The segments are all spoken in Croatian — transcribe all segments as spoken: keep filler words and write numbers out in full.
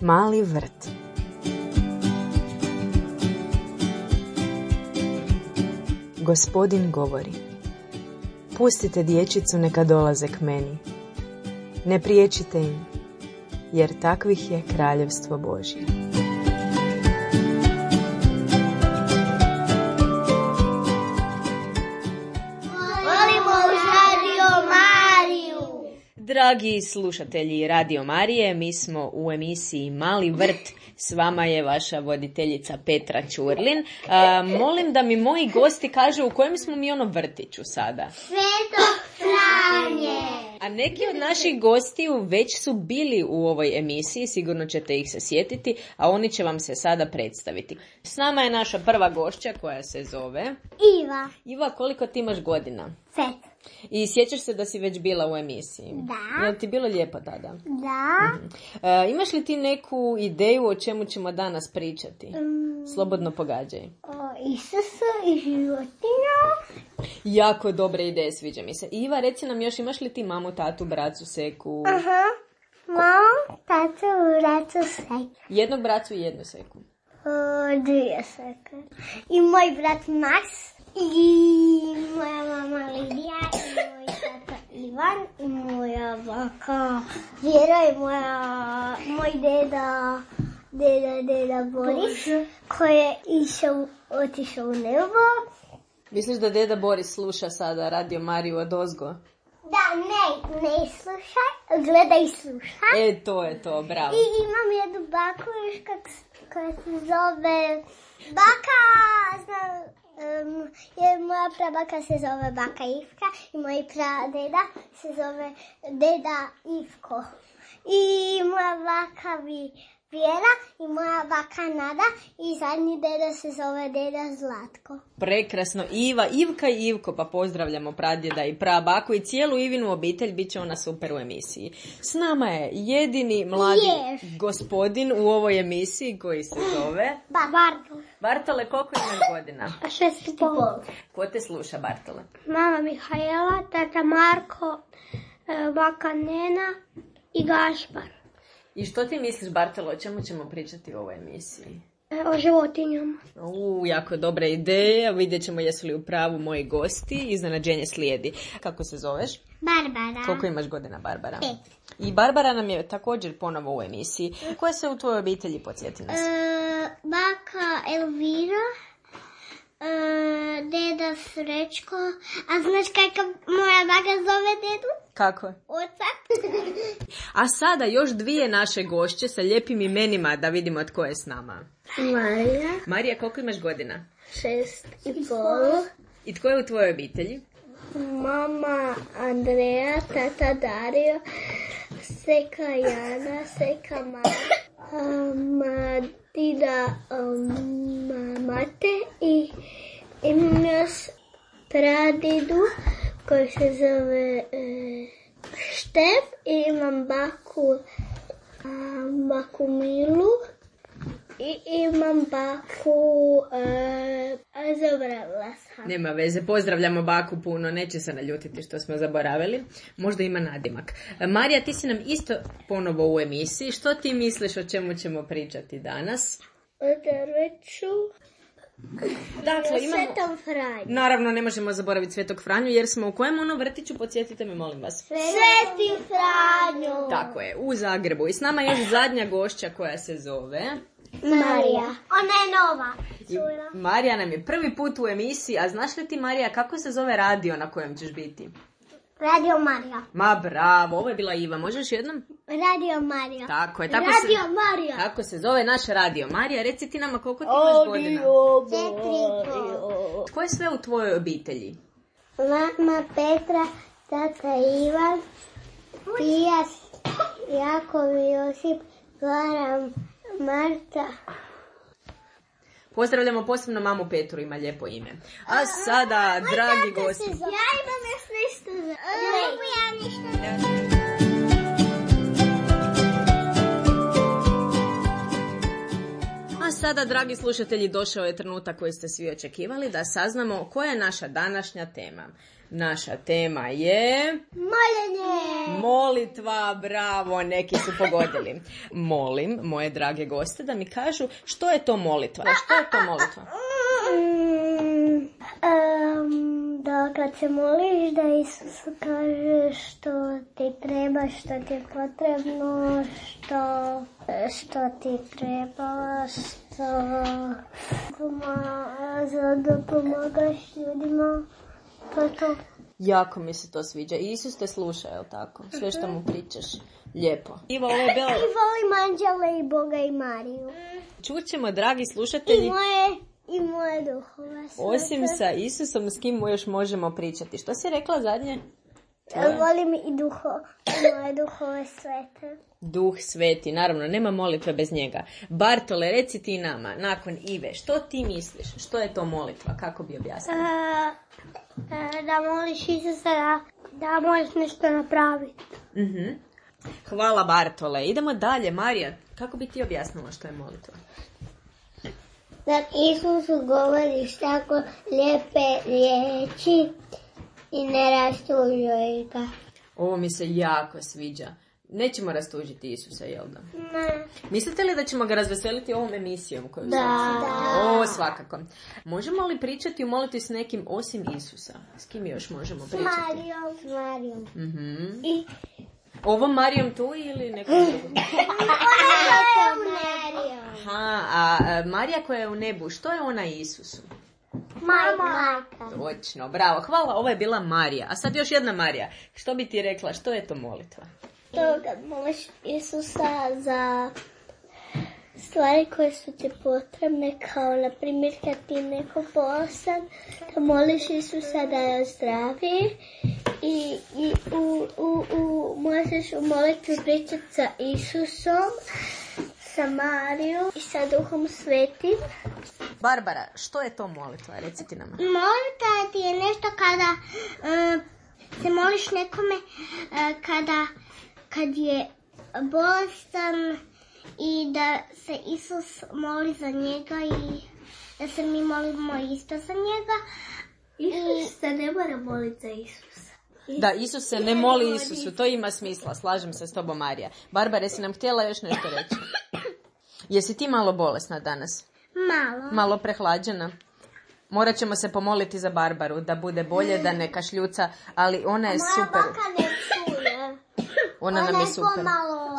Mali vrt. Gospodin govori: pustite dječicu neka dolaze k meni. Ne priječite im, jer takvih je kraljevstvo Božje. Dragi slušatelji Radio Marije, mi smo u emisiji Mali vrt. S vama je vaša voditeljica Petra Ćurlin. A, molim da mi moji gosti kažu u kojem smo mi ono vrtiću sada. Svetog Franje. A neki od naših gostiju već su bili u ovoj emisiji, sigurno ćete ih se sjetiti, a oni će vam se sada predstaviti. S nama je naša prva gošća koja se zove Iva. Iva, koliko ti imaš godina? Pet. I sjećaš se da si već bila u emisiji? Da. Je li ti bilo lijepo tada? Da. Mhm. E, imaš li ti neku ideju o čemu ćemo danas pričati? Um, Slobodno pogađaj. O Isusu i životinja. Jako dobre ideje, sviđa mi se. Iva, reci nam još, imaš li ti mamu, tatu, bracu, seku? Aha. Mamu, tatu, bracu, seku. Jednog bracu i jednu seku. O, dvije seke. I moj brat Max. I moja mama Lidija. I moj tata Ivan. I moja baka Vjera. I moja, moj deda, deda, deda Boris. Koji je išao, otišao u nebo. Misliš da deda Boris sluša sada Radio Mariju odozgo? Da, ne, ne slušaj, gledaj i slušaj. E, to je to, bravo. I imam jednu baku još kak, koja se zove Baka, znam, um, jer moja prabaka se zove Baka Ivka i moj pradeda se zove Deda Ivko. I moja baka vi Vjera i moja baka Nada i zadnji deda se zove Deda Zlatko. Prekrasno. Iva, Ivka i Ivko, pa pozdravljamo pradjeda i prabaku i cijelu Ivinu obitelj, bit će ona super u emisiji. S nama je jedini mladi Yes. gospodin u ovoj emisiji koji se zove Bartol. Bartole. Koliko imaš godina? Šest i pol. Ko te sluša, Bartole? Mama Mihajla, tata Marko, baka Nena i Gašpar. I što ti misliš, Bartolo, o čemu ćemo pričati u ovoj emisiji? O životinjama. U, jako dobra ideja. Vidjet ćemo jesu li u pravu moji gosti. Iznenađenje slijedi. Kako se zoveš? Barbara. Koliko imaš godina, Barbara? Pet. I Barbara nam je također ponovo u emisiji. Koja se u tvojoj obitelji, podsjeti nas? E, baka Elvira, e, deda Srećko. A znaš kako moja baka zove dedu? Kako? Oca. A sada još dvije naše gošće sa lijepim imenima da vidimo tko je s nama. Marija. Marija, koliko imaš godina? Šest i pol. I tko je u tvojoj obitelji? Mama Andreja, tata Dario, seka Jana, seka Mama, dida um, Mate i imam još pradidu koji se zove e, Štef i imam baku, a, baku Milu i imam baku e, zaboravila sam. Nema veze, pozdravljamo baku puno, neće se naljutiti što smo zaboravili. Možda ima nadimak. Marija, ti si nam isto ponovo u emisiji. Što ti misliš o čemu ćemo pričati danas? O drveću. Dakle, imamo... Svetom Franju. Naravno, ne možemo zaboraviti Svetog Franju, jer smo u kojem ono vrtiću, podsjetite me, molim vas. Sveti Franju. Tako je, u Zagrebu. I s nama je još zadnja gošća koja se zove... Marija. Ona je nova. I Marija nam je prvi put u emisiji, a znaš li ti, Marija, kako se zove radio na kojem ćeš biti? Radio Marija. Ma bravo, ovo je bila Iva, možeš jednom? Radio Marija. Tako je, tako Radio se... Marija. Tako se zove naš radio. Marija, reci ti nama koliko ti imaš godina? Četiri. Tko je sve u tvojoj obitelji? Mama Petra, tata Ivan, Pija, Jakov, Josip, Goran, Marta. Pozdravljamo posebno mamu Petru, ima lijepo ime. A sada, dragi gosti... Ja imam još nešto. Mogu ja nešto. A sada, dragi slušatelji, došao je trenutak koji ste svi očekivali da saznamo koja je naša današnja tema. Naša tema je... Moljenje! Molitva, bravo, neki su pogodili. Molim moje drage goste da mi kažu što je to molitva. Što je to molitva? Mm, um, da kad se moliš da Isus kaže što ti treba, što ti je potrebno, što, što ti treba, što pomaga, da pomagaš ljudima. To je to. Jako mi se to sviđa. Isus te sluša, je li tako? Sve što mu pričaš. Lijepo. Ivo, ovo je bilo... I volim anđele i Boga i Mariju. Čućemo, dragi slušatelji. I moje, i moje duhove. Osim sa Isusom, s kim još možemo pričati? Što si rekla zadnje? Volim i duho, i moje duhove svete. Duh sveti, naravno, nema molitve bez njega. Bartole, reci ti nama, nakon Ive, što ti misliš? Što je to molitva? Kako bi objasnila? E, da moliš Isusa da, da možeš nešto napraviti. Uh-huh. Hvala, Bartole. Idemo dalje. Marija, kako bi ti objasnila što je molitva? Da Isusu govoriš tako lijepe riječi i ne rastužuje ga. Ovo mi se jako sviđa. Nećemo rastužiti Isusa, jel da? Ne. Mislite li da ćemo ga razveseliti ovom emisijom? Koju Da. da. O, svakako. Možemo li pričati u molitvi s nekim osim Isusa? S kim još možemo pričati? S Marijom. S Marijom. Mm-hmm. I... Ovom Marijom tu ili nekom drugom? Marijom. Aha, a, a Marija koja je u nebu, što je ona Isusu? Mama. Točno, bravo, hvala, ovo je bila Marija. A sad još jedna Marija. Što bi ti rekla, što je to molitva? To kad moliš Isusa za stvari koje su ti potrebne, kao na primjer kad ti je neko bolestan, da moliš Isusa da je zdravi i, i u, u, u, možeš u molitvi pričati sa Isusom, sa Marijom i sa Duhom Svetim. Barbara, što je to molitva? Reci ti nama. Molitva ti je nešto kada uh, se moliš nekome uh, kada kad je bolestan i da se Isus moli za njega i da se mi molimo isto za njega. Isus se ne mora moliti za Isusa. Da, Isus se ne moli Isusu, to ima smisla, slažem se s tobom, Marija. Barbara, jesi nam htjela još nešto reći? Jesi ti malo bolesna danas? Malo. Malo prehlađena? Morat ćemo se pomoliti za Barbaru, da bude bolje, da ne kašljuca, ali ona je super. Moja baka ne čuje. Ona nam je super.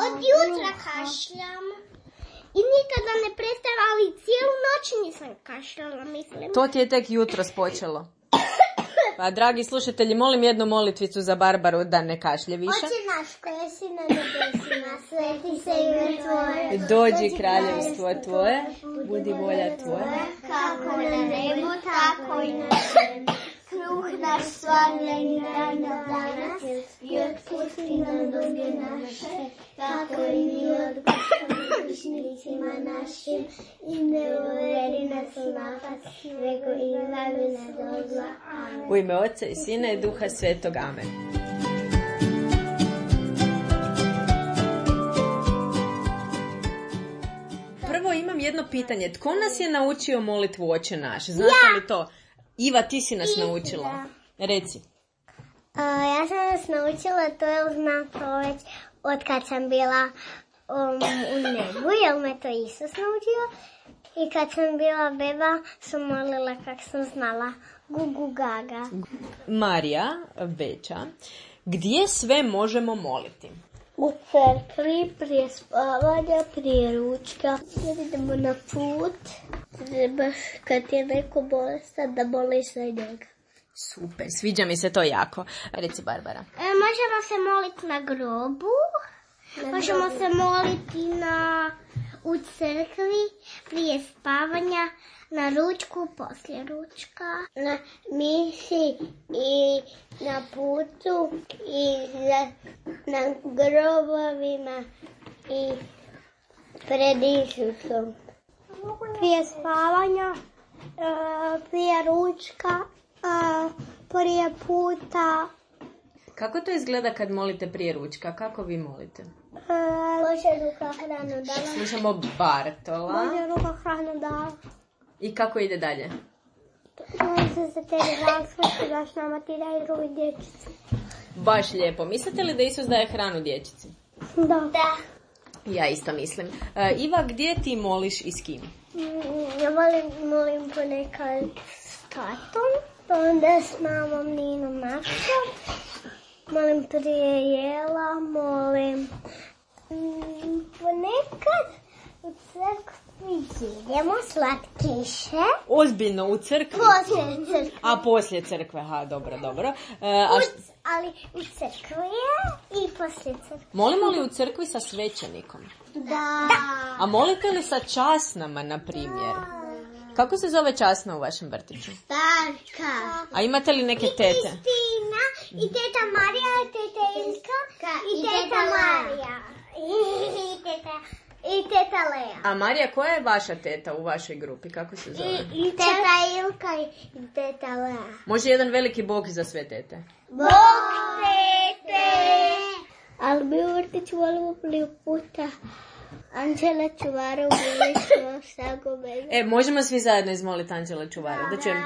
Od jutra kašljam. I nikada ne prestajem, ali cijelu noć nisam kašljala, mislim. To ti je tek jutros počelo. Pa, dragi slušatelji, molim jednu molitvicu za Barbaru da ne kašlje više. Oče naš koji si na nebesima, sveti se ime Tvoje. Dođi kraljevstvo Tvoje, budi volja Tvoja. Kako na nebu, tako i na zemlji. Kruh naš svakodnevni daj nam danas i otpusti nam duge naše, kako i mi otpuštamo dužnicima našim i ne uvedi nas u napad, nego izbavi nas od zla. Amen. U ime Oca i Sina i Duha Svetog. Amen. Prvo imam jedno pitanje. Tko nas je naučio molitvu Oče naš? Znate Ja. li to? Iva, ti si nas naučila. Reci. Uh, ja sam nas naučila to, jer znam to već od kad sam bila um, u nebu, jer me to Isus naučio. I kad sam bila beba, sam molila kak sam znala. Gugu gaga. Marija, veća, gdje sve možemo moliti? U crkvi, prije spavanja, prije ručka. Kad idemo na put, trebaš kad je neko bolestan da moliš za njega. Super, sviđa mi se to jako. Reci, Barbara. E, možemo se moliti na grobu, na možemo grobu. se moliti na, u crkvi, prije spavanja, na ručku, poslije ručka, na misi i na putu i za, na grobovima i pred Isusom. Prije spavanja, prije ručka, prije puta Kako to izgleda kad molite prije ručka? Kako vi molite? Može ruka hranu dala. Slušamo Bartola. Može ruka hranu dala. I kako ide dalje? Može se tebi različiti daš nama ti daj drugi dječici. Baš lijepo. Mislite li da Isus daje hranu dječici? Da. Da. Ja isto mislim. Uh, Iva, gdje ti moliš i s kim? Ja volim, molim ponekad s tatom, pa onda s mamom Ninom Našom. Molim prije jela, molim mm, ponekad u crkvi jedemo slatkiše. Ozbiljno, u crkvi? Poslije crkve. A, poslije crkve, ha, dobro, dobro. Uh, a št... U, ali u crkvi je i poslije crkve. Molimo li u crkvi sa svećenikom? Da. A molite li sa časnama, na primjer? Kako se zove časna u vašem vrtiću? Starka. A imate li neke tete? Kristina, i teta Marija, i teta Ilka, i teta Marija. I teta, i teta Lea. A Marija, koja je vaša teta u vašoj grupi? Kako se zove? I, i teta Ilka i teta Lea. Može jedan veliki bog za sve tete? Bog tete! Ali mi u vrtiću volimo prvi puta Anđela Čuvara bili smo sagome. E, možemo svi zajedno izmoliti Anđela Čuvara. Da čujem.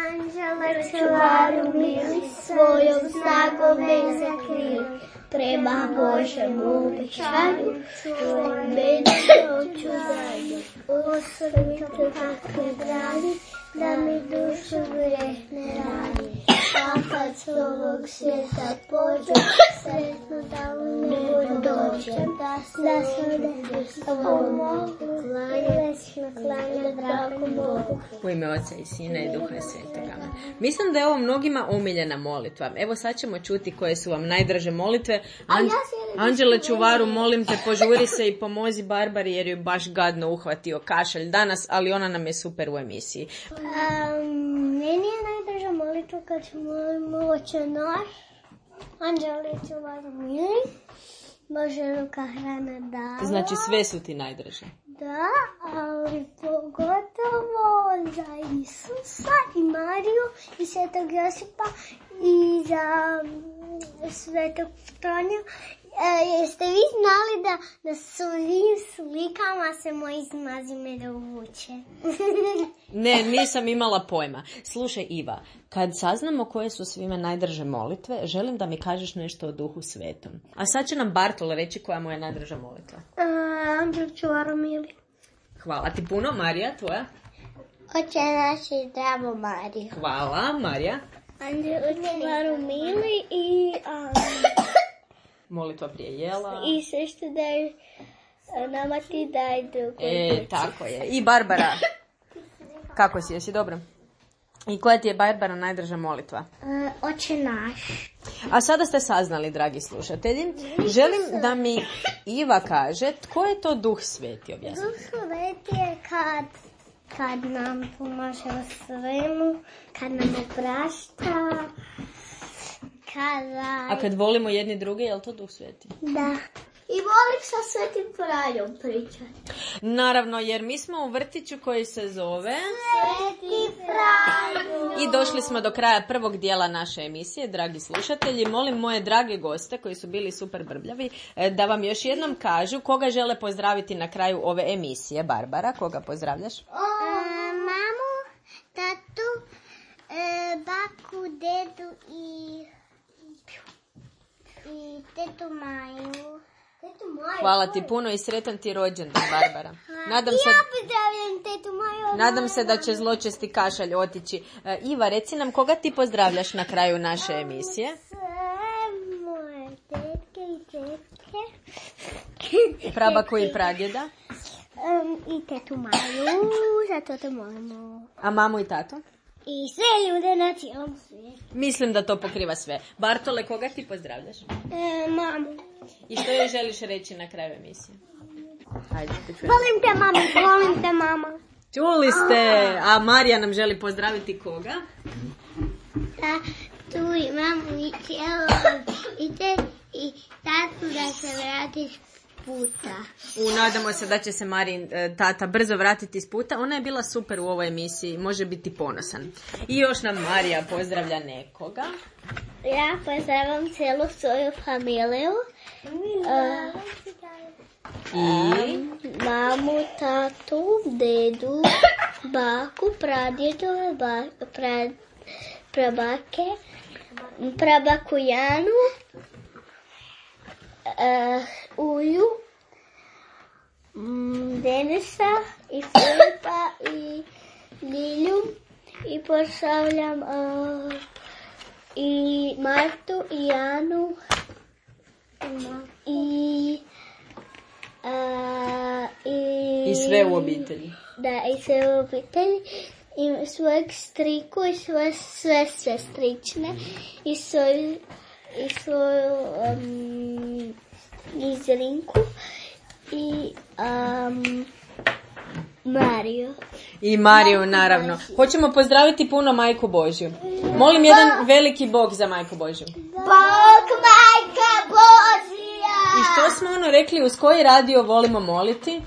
Anđela Čuvaru bili svojom snagome zakrili. Prema Božemu obećanju svoj meni hoću zajedno. Osvrnite takve brani, da mi dušu greh ne radi. A kad s ovog svijeta pođem, sretno da u nebo dođem. Da se da ovom mogu, klanja, klanja dragu Bogu. U ime Oca i Sina i Duha Svetoga. Mislim da je ovo mnogima omiljena molitva. Evo sad ćemo čuti koje su vam najdraže molitve. An- Anđele Čuvaru, molim te, požuri se i pomozi Barbari jer ju baš gadno uhvatio kašalj danas, ali ona nam je super u emisiji. Um, meni je najdraža molitva kad molimo Oče naš, Anđele Čuvaru mili, Bože ruka hrana dala. Znači sve su ti najdraže. Da, ali pogotovo za Isusa i Mariju i Svetog Josipa i za Svetog Franja. E, jeste vi znali da na svim slikama se moji zmazime dovuče? Ne, nisam imala pojma. Slušaj Iva, kad saznamo koje su svime najdraže molitve, želim da mi kažeš nešto o Duhu Svetom. A sad će nam Bartol reći koja mu je najdraža molitva. Uh, Anđel Čuvaru mili. Hvala ti puno. Marija, tvoja? Oče naši, zdravo Mariju. Hvala, Marija. Anđel Čuvaru mili i... Um, molitva prije jela. I sve što daj nama ti daj drugo. E, tako je. I Barbara. Kako si, jesi dobro? I koja ti je, Barbara, najdraža molitva? Uh, Oče naš. A sada ste saznali, dragi slušatelji. Želim da mi Iva kaže tko je to Duh Sveti, objasnite. Duh Sveti je kad, kad nam pomaže u svemu, kad nam oprašta, kada... A kad volimo jedni druge, je li to Duh Sveti? Da. I volim sa Svetim Franjom pričati. Naravno, jer mi smo u vrtiću koji se zove... Sveti Franjo. I došli smo do kraja prvog dijela naše emisije, dragi slušatelji. Molim moje drage goste koji su bili super brbljavi da vam još jednom kažu koga žele pozdraviti na kraju ove emisije. Barbara, koga pozdravljaš? E, mamu, tatu, e, baku, dedu i... i tetu Maju. Tetu Maju. Hvala ti puno i sretan ti rođendan, Barbara. Nadam se, ja pozdravljam tetu Maju. nadam se da će zločesti kašalj otići. Uh, Iva, reci nam koga ti pozdravljaš na kraju naše emisije? Sve moje tetke i tetke. Prabaku i pradjeda. Um, I tetu Maju, zato te molimo. A mamu i tatu? I sve ljude na cijelom svijetu. Mislim da to pokriva sve. Bartole, koga ti pozdravljaš? E, mamu. I što joj želiš reći na kraju emisije? Ajde, te čujem. Volim te mama, volim te mama. Čuli ste, a Marija nam želi pozdraviti koga? Da, tu i mamu i cijelo i te i tatu da se vratiš puta. U, nadamo se da će se Marin tata brzo vratiti s puta. Ona je bila super u ovoj emisiji, može biti ponosan. I još nam Marija pozdravlja nekoga. Ja pozdravljam cijelu svoju familiju. Uh, I? Mamu, tatu, dedu, baku, pradjedove, ba, pra, prabake, prabaku Janu, uh, Uju, um, Denisa i Filipa i Ljilju i pozdravljam uh, i Martu i Janu i Uh, i, I sve u obitelji. Da, i sve u obitelji. I svojeg striku i svoje sve sestrične i svoju, i svoju um, Izrinku i um, Mariju. I Mariju, naravno. Hoćemo pozdraviti puno Majku Božju. Molim jedan veliki bog za Majku Božju. Bog Majka Božja! I što smo ono rekli, uz koji radio volimo moliti?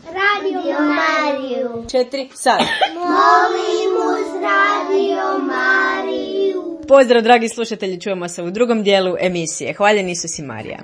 Radio Mariju. Četiri, sad. Molim uz Radio Mariju. Pozdrav, dragi slušatelji, čujemo se u drugom dijelu emisije. Hvaljen Isus i Marija.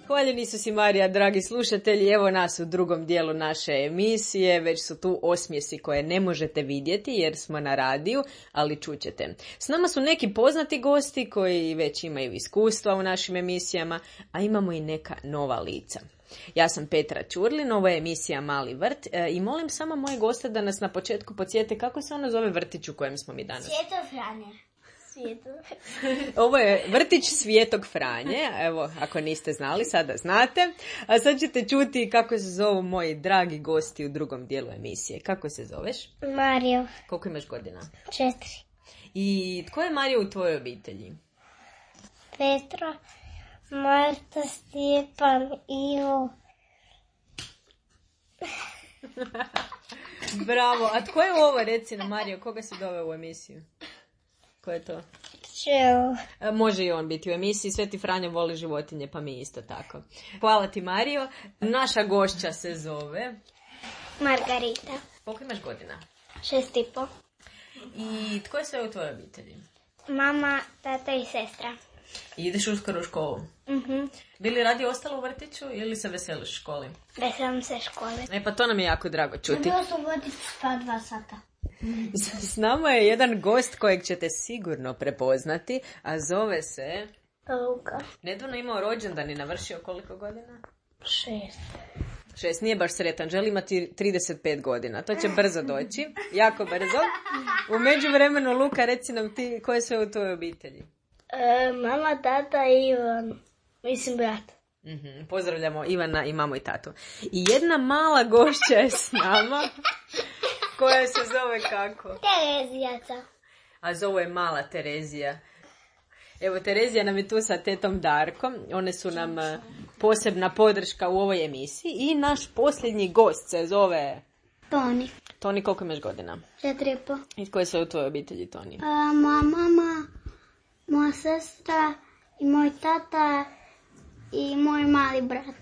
Hvaljen Isus i Marija, dragi slušatelji, evo nas u drugom dijelu naše emisije, već su tu osmjesi koje ne možete vidjeti jer smo na radiju, ali čućete. S nama su neki poznati gosti koji već imaju iskustva u našim emisijama, a imamo i neka nova lica. Ja sam Petra Čurlin, ovo je emisija Mali vrt e, i molim samo moje goste da nas na početku podsjete kako se ono zove vrtić u kojem smo mi danas. Svijetog Franje. Ovo je vrtić Svijetog Franje, evo ako niste znali sada znate, a sad ćete čuti kako se zovu moji dragi gosti u drugom dijelu emisije. Kako se zoveš? Mario. Koliko imaš godina? Četiri. I tko je Mario u tvojoj obitelji? Petra, Marta, Stjepan, Ivo. Bravo, a tko je ovo, reci nam Mario, koga se dove u emisiju? Ko je to? Čeo. Može i on biti u emisiji. Sveti Franjo voli životinje, pa mi isto tako. Hvala ti, Mario. Naša gošća se zove Margarita. Koliko imaš godina? Šest i po. I tko je sve u tvojoj obitelji? Mama, tata i sestra. I ideš uskoro u školu? Mhm. Bi li radi ostalo u vrtiću ili se veseliš školi? Veselim se škole. E pa to nam je jako drago čuti. Bilo sam voditi spa dva sata. S nama je jedan gost kojeg ćete sigurno prepoznati, a zove se... Luka. Nedavno imao rođendan i navršio koliko godina? Šest. Šest, nije baš sretan, želi imati trideset pet godina. To će brzo doći, jako brzo. U međuvremenu, Luka, reci nam ti koje sve u tvojoj obitelji. E, mama, tata i Ivan. Mislim, brat. Mm-hmm. Pozdravljamo Ivana i mamu i tatu. I jedna mala gošća je s nama, koja se zove kako? Terezijaca. A zove je mala Terezija. Evo, Terezija nam je tu sa tetom Darkom. One su nam posebna podrška u ovoj emisiji. I naš posljednji gost se zove... Toni. Toni, koliko imaš godina? Četiri i po. I tko je sve u tvojoj obitelji, Toni? A, moja mama, moja sestra i moj tata i moj mali brat.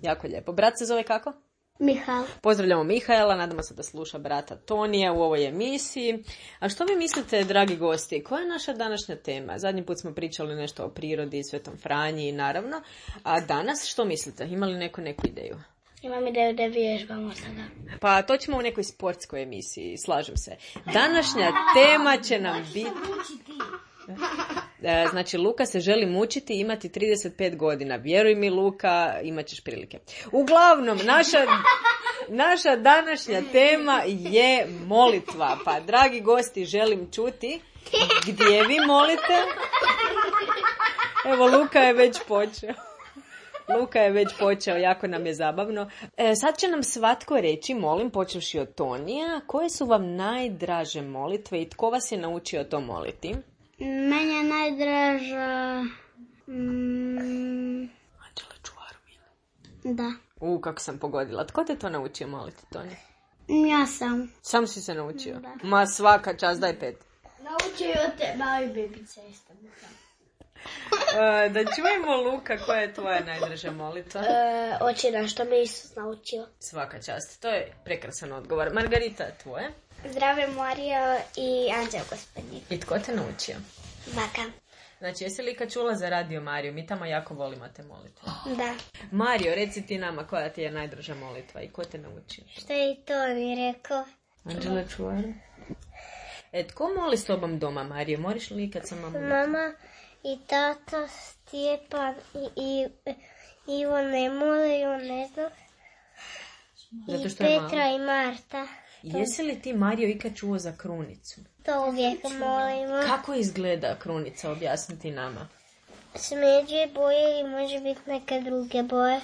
Jako lijepo. Brat se zove kako? Mihajl. Pozdravljamo Mihajla, nadamo se da sluša brata Tonija u ovoj emisiji. A što vi mislite, dragi gosti, koja je naša današnja tema? Zadnji put smo pričali nešto o prirodi, Svetom Franji, naravno. A danas što mislite? Ima li neko neku ideju? Imam ideju da vježbamo sada. Pa to ćemo u nekoj sportskoj emisiji, slažem se. Današnja tema će nam biti... Znači, Luka se želi mučiti i imati trideset pet godina. Vjeruj mi, Luka, imat ćeš prilike. Uglavnom, naša, naša današnja tema je molitva. Pa, dragi gosti, želim čuti gdje vi molite. Evo, Luka je već počeo. Luka je već počeo, jako nam je zabavno. E, sad će nam svatko reći, molim, počevši od Tonija, koje su vam najdraže molitve i tko vas je naučio to moliti? Meni je najdraža... Mm, Anđela čuvaru, mile. da. U, kako sam pogodila. Tko te to naučio moliti, Tonija? Ja sam. Sam si se naučio? Da. Ma svaka čast, daj pet. Naučio te mali bebice isto. E, da čujemo, Luka, koja je tvoja najdraža molitva? E, očina, što me Isus naučio. Svaka čast, to je prekrasan odgovor. Margarita, tvoje? Zdrave Mario i Anđeo gospodnji. I tko te naučio? Baka. Znači, jesi li kad čula za Radio Mariju? Mi tamo jako volimo te molitve. Da. Mario, reci ti nama koja ti je najdraža molitva i ko te naučio? Što je i to mi rekao? Anđela čuvar. E, tko moli s tobom doma, Mario? Moriš li kad sam mamu? Mama i tata, Stjepan i, i Ivo ne mole, on ne zna. Zato I što je Petra malo. i Marta. Jesi li ti, Mario, ikad čuo za krunicu? To uvijek molimo. Kako izgleda krunica? Objasniti nama. Smeđe boje i može biti neke druge boje.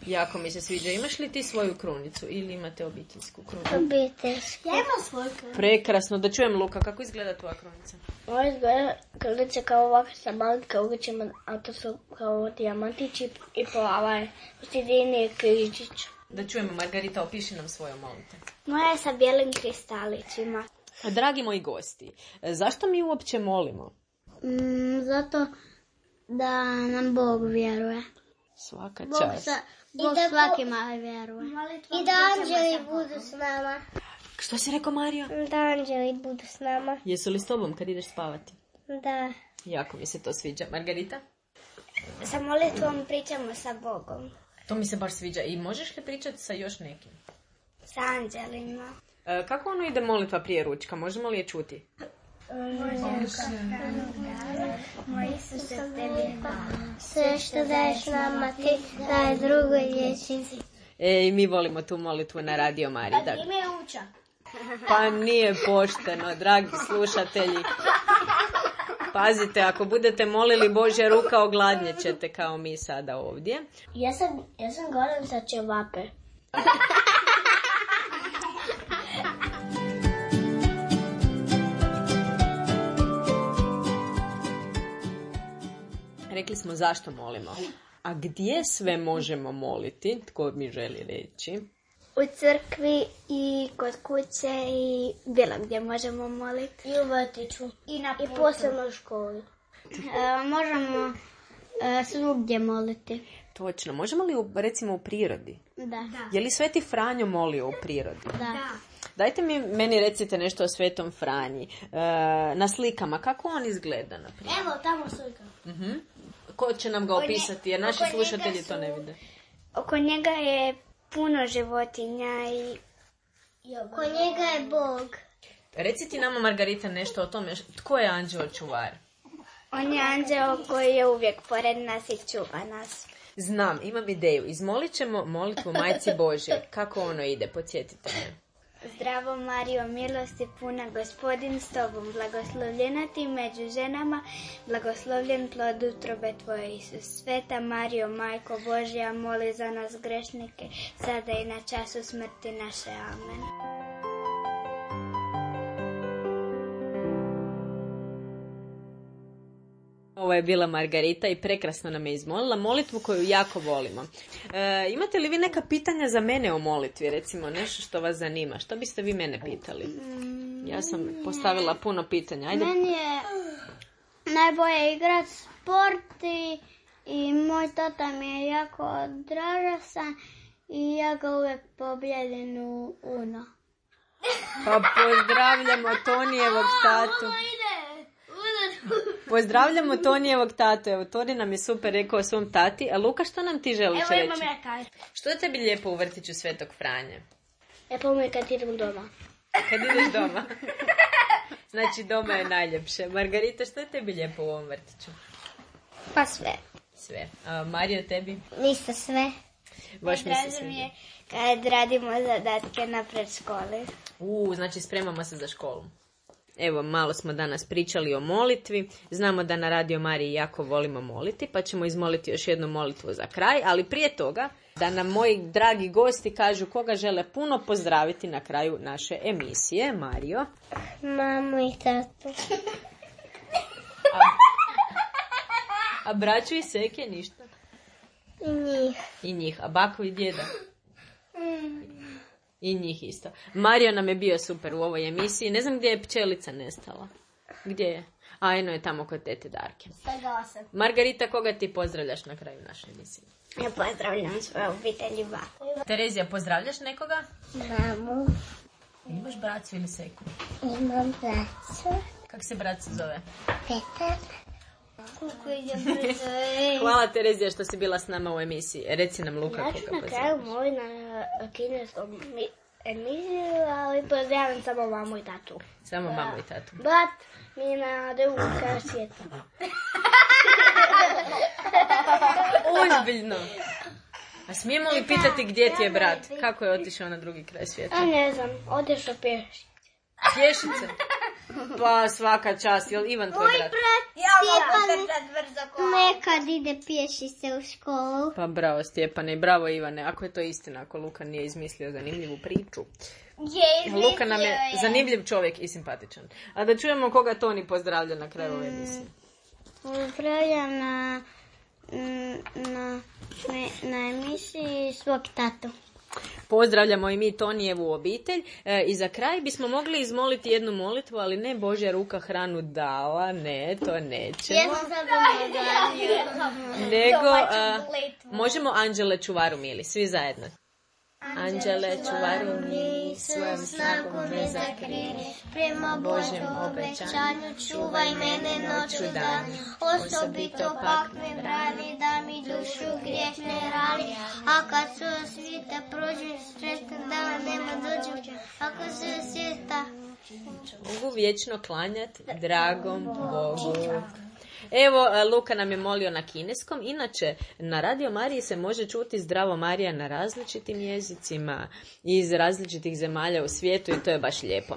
Jako mi se sviđa. Imaš li ti svoju krunicu ili imate obiteljsku krunicu? Obiteljske. Ja imam svoju krunicu. Prekrasno. Da čujem, Luka, kako izgleda tvoja krunica? Ovo izgleda krunice kao ovakve sa malim kaugićima, a to su kao dijamantići i plava je. U sredini je križić. Da čujemo, Margarita, opiši nam svoju molitvu. Moja je sa bijelim kristalićima. Dragi moji gosti, zašto mi uopće molimo? Mm, zato da nam Bog vjeruje. Svaka Bog, čast. sa, Bog da svakima vjeruje. I da anđeli budu s nama. Što si rekao, Mario? Da anđeli budu s nama. Jesu li s tobom kad ideš spavati? Da. Jako mi se to sviđa. Margarita? Sa molitvom pričamo sa Bogom. To mi se baš sviđa. I možeš li pričati sa još nekim? Sa anđelima. E, kako ono ide molitva prije ručka? Možemo li je čuti? Moj Isuse, tebi hvala. Sve što daješ nama ti, daj drugoj dječnici. E, i mi volimo tu molitvu na Radio Mariji. Da. Ime je Uča. Pa nije pošteno, dragi slušatelji. Pazite, ako budete molili Božja ruka, ogladnjet ćete kao mi sada ovdje. Ja sam, ja sam golem sa ćevape. Rekli smo zašto molimo. A gdje sve možemo moliti? Tko mi želi reći? U crkvi i kod kuće i bilo gdje možemo moliti. I u vrtiću. I, na I posebno u školi. E, možemo e, svugdje moliti. Točno. Možemo li u, recimo u prirodi? Da. da. Je li Sveti Franjo molio u prirodi? Da. da. Dajte mi, meni recite nešto o Svetom Franji. E, na slikama, kako on izgleda? Naprimjer? Evo, tamo slika. Uh-huh. Ko će nam ga opisati, jer naši slušatelji su, to ne vide. Oko njega je puno životinja i, i oko njega je Bog. Reci ti nama, Margarita, nešto o tome. Tko je anđeo čuvar? On je anđeo koji je uvijek pored nas i čuva nas. Znam, imam ideju. Izmolit ćemo molitvu Majci Božje. Kako ono ide? Podsjetite me. Zdravo Mario, milosti puna, Gospodin s tobom, blagoslovljena ti među ženama, blagoslovljen plod utrobe tvoje, Isus. Sveta Mario, Majko Božja, moli za nas grešnike, sada i na času smrti naše. Amen. Ovo je bila Margarita i prekrasno nam je izmolila molitvu koju jako volimo. E, imate li vi neka pitanja za mene o molitvi? Recimo nešto što vas zanima. Što biste vi mene pitali? Ja sam postavila puno pitanja. Ajde. Meni je najbolje igrat sport i, i moj tata mi je jako dražasan i ja ga uvijek pobjedim u Uno. Pa pozdravljamo Tonijevog tatu. Pozdravljamo Tonijevog tatu. Evo, Toni nam je super rekao svom tati. A Luka, što nam ti želiš Evo, reći? imam ja kaj. Što je tebi lijepo u vrtiću Svetog Franje? Lijepo mi je kad idem doma. Kad ideš doma. Znači, doma je najljepše. Margarita, što je tebi lijepo u ovom vrtiću? Pa sve. Sve. A Mario, tebi? Ništa sve. Baš mi se Draže mi sviđa. je kad radimo zadatke na predškoli. U, znači spremamo se za školu. Evo, malo smo danas pričali o molitvi. Znamo da na Radio Mariji jako volimo moliti, pa ćemo izmoliti još jednu molitvu za kraj. Ali prije toga, da nam moji dragi gosti kažu koga žele puno pozdraviti na kraju naše emisije. Mario. Mamu i tatu. A, a braću i seke ništa. I njih. I njih. A bako i djeda. I njih isto. Mario nam je bio super u ovoj emisiji. Ne znam gdje je pčelica nestala. Gdje je? A, eno je tamo kod tete Darke. Svega osam. Margarita, koga ti pozdravljaš na kraju naše emisije? Ja pozdravljam svoje obitelji baku. Terezija, pozdravljaš nekoga? Mamu. Imaš bracu ili seku? Imam bracu. Kak se brat se zove? Petar. Kuku idem brzo. Hvala Terezija što si bila s nama u emisiji. Reci nam Luka Ja koga ću na pozdravljaš. kraju molim na kineskom mi- emisiju, ali pozdravljam samo mamu i tatu. Samo mamu i tatu. Brat mi je na drugom kraju svijeta. Ozbiljno. A smijemo li pitati gdje ti je brat? Kako je otišao na drugi kraj svijeta? A ne znam, odeš o pješi. Pješice? Pa svaka čast. Jel Ivan tvoj brat? Stjepan nekad ide pješice u školu. Pa bravo Stjepane i bravo Ivane. Ako je to istina, ako Luka nije izmislio zanimljivu priču. Je, Luka nam je zanimljiv čovjek i simpatičan. A da čujemo koga Toni pozdravlja na kraju ove emisije. Pozdravljam na, na, na emisiji svog tatu. Pozdravljamo i mi Tonijevu obitelj. E, I za kraj bismo mogli izmoliti jednu molitvu, ali ne Božja ruka hranu dala, ne, to nećemo. Nego, a, možemo Anđele čuvaru mili, svi zajedno. Anđele čuvaru mili, svojom snagom me zakrini, prema Božjem obećanju čuvaj mene noću dan, osobito pak me brani da mi dušu griješne rani, a kad su svita prođu sretan dana nema dođu, ako se svijeta mogu vječno klanjati dragom Bogu. Evo, Luka nam je molio na kineskom. Inače, na Radio Mariji se može čuti Zdravo Marija na različitim jezicima iz različitih zemalja u svijetu i to je baš lijepo.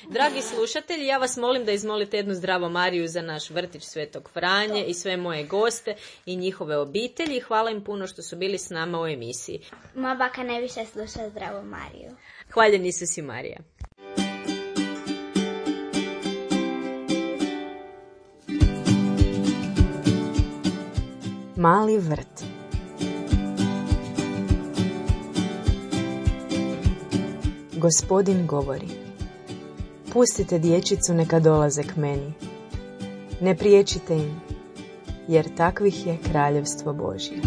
Dragi slušatelji, ja vas molim da izmolite jednu Zdravo Mariju za naš vrtić Svetog Franje i sve moje goste i njihove obitelji. Hvala im puno što su bili s nama u emisiji. Moja baka ne više sluša Zdravo Mariju. Hvaljeni se si Marija. Mali vrt. Gospodin govori: pustite dječicu neka dolaze k meni. Ne priječite im, jer takvih je kraljevstvo Božje.